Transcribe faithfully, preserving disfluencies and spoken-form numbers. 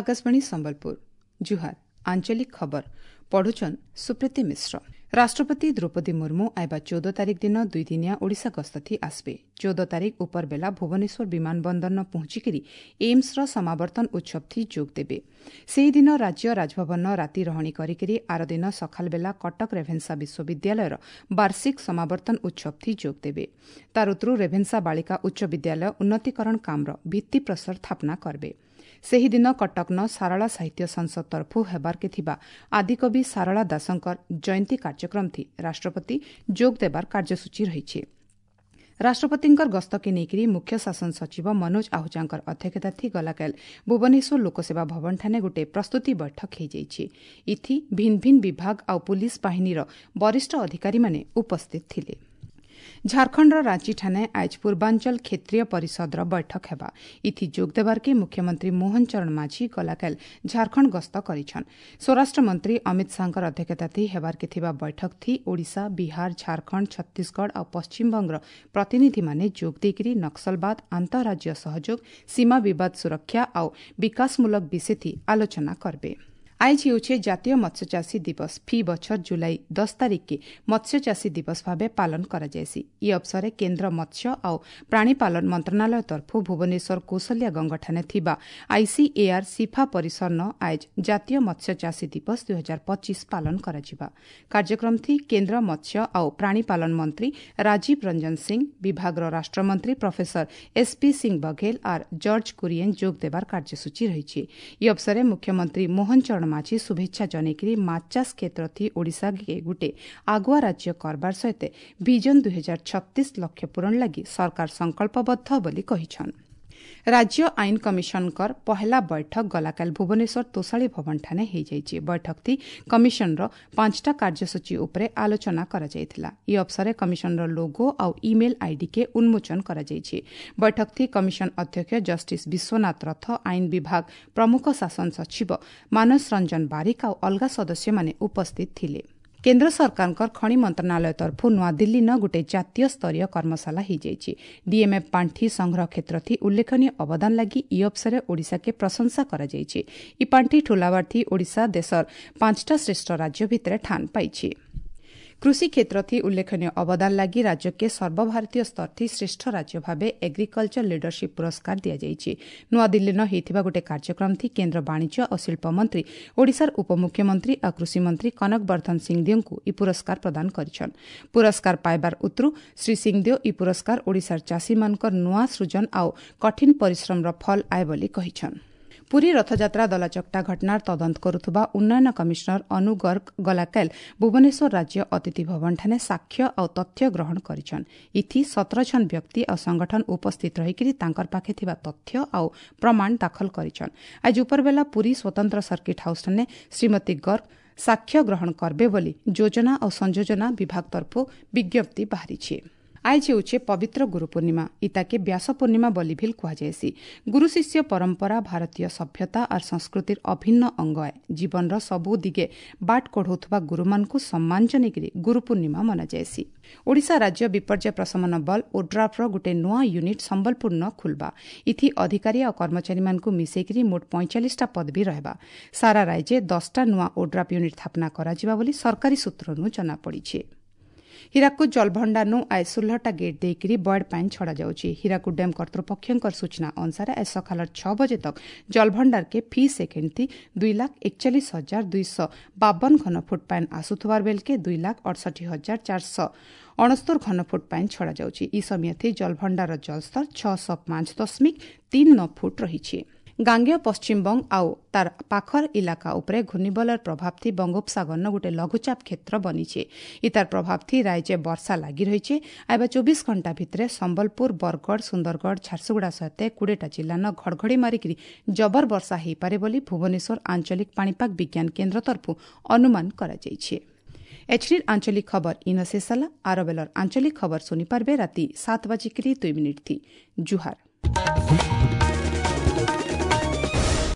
ଆକାଶବାଣୀ ସମ୍ବଲପୁର ଜୁହାର ଆଞ୍ଚଳିକ ଖବର ପଢୁଛନ୍ ସୁପ୍ରୀତି ମିଶ୍ର ରାଷ୍ଟ୍ରପତି ଦ୍ରୌପଦୀ ମୁର୍ମୁ ଆଇବା ଚଉଦ ତାରିଖ ଦିନ ଦୁଇଦିନିଆ ଓଡ଼ିଶା ଗସ୍ତଥି ଆସିବେ ଚଉଦ ତାରିଖ ଉପରବେଲା ଭୁବନେଶ୍ୱର ବିମାନ ବନ୍ଦରନ ପହଞ୍ଚିକରି ଏମ୍ସର ସମାବର୍ତ୍ତନ ଉତ୍ସବଥି ଯୋଗ ଦେବେ ସେହିଦିନ ରାଜ୍ୟ ରାଜଭବନ ରାତି ରହଣି କରିକରି ଆରଦିନ ସକାଳବେଲା କଟକ ରେଭେନ୍ସା ବିଶ୍ୱବିଦ୍ୟାଳୟର ବାର୍ଷିକ ସମାବର୍ତ୍ତନ ଉତ୍ସବଥି ଯୋଗ ଦେବେ ତାର ଉତରୁ ରେଭେନ୍ସା ବାଳିକା ଉଚ୍ଚ ବିଦ୍ୟାଳୟ ଉନ୍ନତିକରଣ କାମର ଭିତ୍ତିପ୍ରସ୍ତର ସ୍ଥାପନା କରିବେ ସେହିଦିନ କଟକନ ସାରଳା ସାହିତ୍ୟ ସଂସଦ ତରଫୁ ହେବାର୍କେ ଥିବା ଆଦିକବି ସାରଳା ଦାସଙ୍କର ଜୟନ୍ତୀ କାର୍ଯ୍ୟକ୍ରମଥି ରାଷ୍ଟ୍ରପତି ଯୋଗ ଦେବାର କାର୍ଯ୍ୟସୂଚୀ ରହିଛି ରାଷ୍ଟ୍ରପତିଙ୍କର ଗସ୍ତକେ ନେଇକରି ମୁଖ୍ୟ ଶାସନ ସଚିବ ମନୋଜ ଆହୁଜାଙ୍କର ଅଧ୍ୟକ୍ଷତାଥି ଗଲାକାଲ ଭୁବନେଶ୍ୱର ଲୋକସେବା ଭବନଠାନେ ଗୋଟିଏ ପ୍ରସ୍ତୁତି ବୈଠକ ହୋଇଯାଇଛି ଇଥି ଭିନ୍ନ ଭିନ୍ନ ବିଭାଗ ଆଉ ପୁଲିସ୍ ବାହିନୀର ବରିଷ୍ଠ ଅଧିକାରୀମାନେ ଉପସ୍ଥିତ ଥିଲେ ଝାଡ଼ଖଣ୍ଡର ରାଞ୍ଚିଠାନେ ଆଜ ପୂର୍ବାଞ୍ଚଳ କ୍ଷେତ୍ରୀୟ ପରିଷଦର ବୈଠକ ହେବା ଇଥି ଯୋଗ ଦେବାର୍କେ ମୁଖ୍ୟମନ୍ତ୍ରୀ ମୋହନ ଚରଣ ମାଝୀ ଗଲାକାଲ ଝାଡ଼ଖଣ୍ଡ ଗସ୍ତ କରିଛନ୍ ସ୍ୱରାଷ୍ଟ୍ରମନ୍ତ୍ରୀ ଅମିତ ଶାହାଙ୍କର ଅଧ୍ୟକ୍ଷତାଥି ହେବାର୍କେ ଥିବା ବୈଠକଥି ଓଡ଼ିଶା ବିହାର ଝାଡ଼ଖଣ୍ଡ ଛତିଶଗଡ଼ ଆଉ ପଶ୍ଚିମବଙ୍ଗର ପ୍ରତିନିଧିମାନେ ଯୋଗ ଦେଇକରି ନକ୍ସଲବାଦ ଆନ୍ତଃରାଜ୍ୟ ସହଯୋଗ ସୀମା ବିବାଦ ସୁରକ୍ଷା ଆଉ ବିକାଶମୂଳକ ବିଷୟଥି ଆଲୋଚନା କରିବେ ଆଇଜ ହେଉଛି ଜାତୀୟ ମତ୍ସ୍ୟଚାଷୀ ଦିବସ ଫି ବଛର ଜୁଲାଇ ଦଶ ତାରିଖକେ ମତ୍ସ୍ୟଚାଷୀ ଦିବସ ଭାବେ ପାଳନ କରାଯାଏସି ଇ ଅବସରେ କେନ୍ଦ୍ର ମତ୍ସ୍ୟ ଆଉ ପ୍ରାଣୀପାଳନ ମନ୍ତ୍ରଣାଳୟ ତରଫରୁ ଭୁବନେଶ୍ୱର କୌଶଲ୍ୟା ଗଙ୍ଗଠାନେ ଥିବା ଆଇସିଏଆର୍ ସିଫା ପରିସରନ ଆଇଜ ଜାତୀୟ ମତ୍ସ୍ୟଚାଷୀ ଦିବସ ଦୁଇ ହଜାର ପଚିଶ ପାଳନ କରାଯିବା କାର୍ଯ୍ୟକ୍ରମଥି କେନ୍ଦ୍ର ମତ୍ସ୍ୟ ଆଉ ପ୍ରାଣୀପାଳନ ମନ୍ତ୍ରୀ ରାଜୀବ ରଞ୍ଜନ ସିଂ ବିଭାଗର ରାଷ୍ଟ୍ରମନ୍ତ୍ରୀ ପ୍ରଫେସର ଏସ୍ପି ସିଂ ବଘେଲ ଆର୍ ଜର୍ଜ କୁରିଏନ୍ ଯୋଗ ଦେବାର କାର୍ଯ୍ୟସୂଚୀ ରହିଛି ଇ ଅବସରେ ମୁଖ୍ୟମନ୍ତ୍ରୀ ମୋହନ ଚରଣ ମାଝୀ ଶୁଭେଚ୍ଛା ଜଣେଇକରି ମାଛ ଚାଷ କ୍ଷେତ୍ରଥି ଓଡ଼ିଶାକେ ଗୁଟେ ଆଗୁଆ ରାଜ୍ୟ କରବାର ସହିତ ଭିଜନ ଦୁଇ ହଜାର ଛତିଶ ଲକ୍ଷ୍ୟ ପୂରଣ ଲାଗି ସରକାର ସଂକଳ୍ପବଦ୍ଧ ବୋଲି କହିଛନ୍ ରାଜ୍ୟ ଆଇନ କମିଶନଙ୍କର ପହେଲା ବୈଠକ ଗଲାକାଲ ଭୁବନେଶ୍ୱର ତୋଷାଳୀ ଭବନଠାନେ ହୋଇଯାଇଛି ବୈଠକଥି କମିଶନର ପାଞ୍ଚଟା କାର୍ଯ୍ୟସୂଚୀ ଉପରେ ଆଲୋଚନା କରାଯାଇଥିଲା ଇ ଅବସରେ କମିଶନର ଲୋଗୋ ଆଉ ଇମେଲ୍ ଆଇଡିକେ ଉନ୍ମୋଚନ କରାଯାଇଛି ବୈଠକଥି କମିଶନ ଅଧ୍ୟକ୍ଷ ଜଷ୍ଟିସ୍ ବିଶ୍ୱନାଥ ରଥ ଆଇନ ବିଭାଗ ପ୍ରମୁଖ ଶାସନ ସଚିବ ମାନସ ରଞ୍ଜନ ବାରିକ ଆଉ ଅଲଗା ସଦସ୍ୟମାନେ ଉପସ୍ଥିତ ଥିଲେ କେନ୍ଦ୍ର ସରକାରଙ୍କର ଖଣି ମନ୍ତ୍ରଣାଳୟ ତରଫରୁ ନୂଆଦିଲ୍ଲୀନ ଗୋଟିଏ ଜାତୀୟ ସ୍ତରୀୟ କର୍ମଶାଳା ହୋଇଯାଇଛି ଡିଏମ୍ଏଫ୍ ପାଣ୍ଠି ସଂଗ୍ରହ କ୍ଷେତ୍ରଥି ଉଲ୍ଲେଖନୀୟ ଅବଦାନ ଲାଗି ଇ ଅବସରେ ଓଡ଼ିଶାକେ ପ୍ରଶଂସା କରାଯାଇଛି ଇ ପାଣ୍ଠି ଠୁଲାବାର୍ଥି ଓଡ଼ିଶା ଦେଶର ପାଞ୍ଚଟା ଶ୍ରେଷ୍ଠ ରାଜ୍ୟ ଭିତରେ ଠାନ ପାଇଛି କୃଷି କ୍ଷେତ୍ରଥି ଉଲ୍ଲେଖନୀୟ ଅବଦାନ ଲାଗି ରାଜ୍ୟକେ ସର୍ବଭାରତୀୟ ସ୍ତରଥି ଶ୍ରେଷ୍ଠ ରାଜ୍ୟ ଭାବେ ଏଗ୍ରିକଲଚର ଲିଡରସିପ୍ ପୁରସ୍କାର ଦିଆଯାଇଛି ନୂଆଦିଲ୍ଲୀନ ହୋଇଥିବା ଗୋଟିଏ କାର୍ଯ୍ୟକ୍ରମଥି କେନ୍ଦ୍ର ବାଣିଜ୍ୟ ଓ ଶିଳ୍ପ ମନ୍ତ୍ରୀ ଓଡ଼ିଶାର ଉପମୁଖ୍ୟମନ୍ତ୍ରୀ ଆଉ କୃଷିମନ୍ତ୍ରୀ କନକ ବର୍ଦ୍ଧନ ସିଂଦେଓଙ୍କୁ ଇ ପୁରସ୍କାର ପ୍ରଦାନ କରିଛନ୍ ପୁରସ୍କାର ପାଇବାର ଉତରୁ ଶ୍ରୀ ସିଂଦେଓ ଇ ପୁରସ୍କାର ଓଡ଼ିଶାର ଚାଷୀମାନଙ୍କର ନୂଆ ସୃଜନ ଆଉ କଠିନ ପରିଶ୍ରମର ଫଳ ଆଏ ବୋଲି କହିଛନ୍ ପୁରୀ ରଥଯାତ୍ରା ଦଲାଚକଟା ଘଟଣାର ତଦନ୍ତ କରୁଥିବା ଉନ୍ନୟନ କମିଶନର ଅନୁ ଗର୍ଗ ଗଲାକାଲ ଭୁବନେଶ୍ୱର ରାଜ୍ୟ ଅତିଥି ଭବନଠାନେ ସାକ୍ଷ୍ୟ ଆଉ ତଥ୍ୟ ଗ୍ରହଣ କରିଛନ୍ ଇଥି ସତର ଜଣ ବ୍ୟକ୍ତି ଆଉ ସଂଗଠନ ଉପସ୍ଥିତ ରହିକରି ତାଙ୍କର ପାଖେ ଥିବା ତଥ୍ୟ ଆଉ ପ୍ରମାଣ ଦାଖଲ କରିଛନ୍ ଆଜି ଉପରବେଲା ପୁରୀ ସ୍ୱତନ୍ତ୍ର ସର୍କିଟ୍ ହାଉସ୍ଠାନେ ଶ୍ରୀମତୀ ଗର୍ଗ ସାକ୍ଷ୍ୟ ଗ୍ରହଣ କରିବେ ବୋଲି ଯୋଜନା ଆଉ ସଂଯୋଜନା ବିଭାଗ ତରଫରୁ ବିଜ୍ଞପ୍ତି ବାହାରିଛି ଆଇଜ ହେଉଛି ପବିତ୍ର ଗୁରୁ ପୂର୍ଣ୍ଣିମା ଇତାକେ ବ୍ୟାସ ପୂର୍ଣ୍ଣିମା ବୋଲି ଭିଲ୍ କୁହାଯାଏସି ଗୁରୁ ଶିଷ୍ୟ ପରମ୍ପରା ଭାରତୀୟ ସଭ୍ୟତା ଆର୍ ସଂସ୍କୃତିର ଅଭିନ୍ନ ଅଙ୍ଗ ଏ ଜୀବନର ସବୁ ଦିଗେ ବାଟ କଢ଼ଉଥିବା ଗୁରୁମାନଙ୍କୁ ସମ୍ମାନ ଜଣେଇକରି ଗୁରୁ ପୂର୍ଣ୍ଣିମା ମନାଯାଏସି ଓଡ଼ିଶା ରାଜ୍ୟ ବିପର୍ଯ୍ୟୟ ପ୍ରଶମନ ବଲ ଓଡ୍ରାଫ୍ର ଗୋଟିଏ ନୂଆ ୟୁନିଟ୍ ସମ୍ବଲପୁରନ ଖୁଲବା ଇଥି ଅଧିକାରୀ ଆଉ କର୍ମଚାରୀମାନଙ୍କୁ ମିଶେଇକରି ମୋଟ ପଇଁଚାଳିଶଟା ପଦବୀ ରହିବା ସାରା ରାଜ୍ୟେ ଦଶଟା ନୂଆ ଓଡ୍ରାଫ୍ ୟୁନିଟ୍ ସ୍ଥାପନା କରାଯିବା ବୋଲି ସରକାରୀ ସୂତ୍ରରୁ ଜଣାପଡ଼ିଛି ହୀରାକୁଦ ଜଳଭଣ୍ଡାରନୁ ଆଜ ଷୋହଳଟା ଗେଟ୍ ଦେଇକରି ବଏଡ୍ ପାଣି ଛଡ଼ାଯାଉଛି ହୀରାକୁଦ ଡ୍ୟାମ୍ କର୍ତ୍ତୃପକ୍ଷଙ୍କର ସୂଚନା ଅନୁସାରେ ଆଜ ସକାଳ ଛଅ ବଜେ ତକ ଜଳଭଣ୍ଡାରକେ ଫି ସେକେଣ୍ଡ ଦୁଇ ଲାଖ ଏକଚାଳିଶ ହଜାର ଦୁଇଶହ ବାବନ ଘନଫୁଟ ପାଣି ଆସୁଥିବାର ବେଲକେ ଦୁଇ ଲାଖ ଅଠଷଠି ହଜାର ଚାରିଶହ ଅଣସ୍ତର ଘନଫୁଟ ପାଣି ଛଡ଼ାଯାଉଛି ଇ ସମୟଥି ଜଳଭଣ୍ଡାର ଜଳସ୍ତର ଛଅଶହ ପାଞ୍ଚ ଦଶମିକ ତିନି ନଅ ଫୁଟ ରହିଛି ଗାଙ୍ଗେୟ ପଶ୍ଚିମବଙ୍ଗ ଆଉ ତାର ପାଖର ଇଲାକା ଉପରେ ଘୂର୍ଣ୍ଣିବଳର ପ୍ରଭାବଥି ବଙ୍ଗୋପସାଗରନ ଗୋଟିଏ ଲଘୁଚାପ କ୍ଷେତ୍ର ବନିছে ଇତାର ପ୍ରଭାବଥି ରାଜ୍ୟ ବର୍ଷା ଲାଗି ରହିছে ଆଇବା ଚବିଶ ଘଣ୍ଟା ଭିତରେ ସମ୍ବଲପୁର ବରଗଡ଼ ସୁନ୍ଦରଗଡ଼ ଝାରସୁଗୁଡ଼ା ସହିତ କୋଡ଼ିଏଟା ଜିଲ୍ଲାନ ଘଡ଼ଘଡ଼ି ମାରିକରି ଜବର ବର୍ଷା ହୋଇପାରେ ବୋଲି ଭୁବନେଶ୍ୱର ଆଞ୍ଚଳିକ ପାଣିପାଗ ବିଜ୍ଞାନ କେନ୍ଦ୍ର ତରଫରୁ ଅନୁମାନ କରାଯାଇଛି ଏଚ୍ଡିର ଆଞ୍ଚଳିକ ଖବର ଇନ ଶେଷ ହେଲା ଆର ବେଲର ଆଞ୍ଚଳିକ ଖବର ଶୁଣିପାରିବେ ରାତି ସାତ ବାଜିକିରି ଦୁଇ ମିନିଟ୍ ଥି ଜୁହାର